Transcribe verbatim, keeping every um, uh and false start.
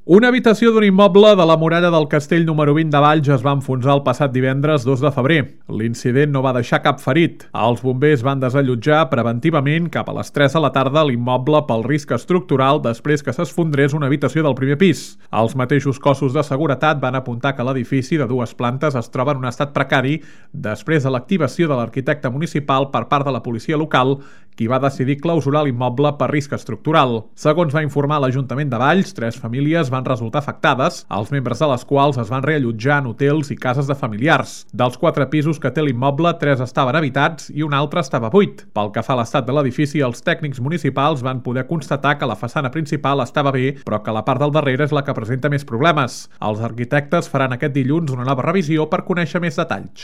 Una habitació d'un immoble de la muralla del castell número vint de Valls es va enfonsar el passat divendres dos de febrer. L'incident no va deixar cap ferit. Els bombers van desallotjar preventivament cap a les tres de la tarda l'immoble pel risc estructural després que s'esfondrés una habitació del primer pis. Els mateixos cossos de seguretat van apuntar que l'edifici de dues plantes es troba en un estat precari després de l'activació de l'arquitecte municipal per part de la policia local, qui va decidir clausurar l'immoble per risc estructural. Segons va informar l'Ajuntament de Valls, tres famílies van resultar afectades, els membres de les quals es van reallotjar en hotels i cases de familiars. Dels quatre pisos que té l'immoble, tres estaven habitats i un altre estava buit. Pel que fa a l'estat de l'edifici, els tècnics municipals van poder constatar que la façana principal estava bé, però que la part del darrere és la que presenta més problemes. Els arquitectes faran aquest dilluns una nova revisió per conèixer més detalls.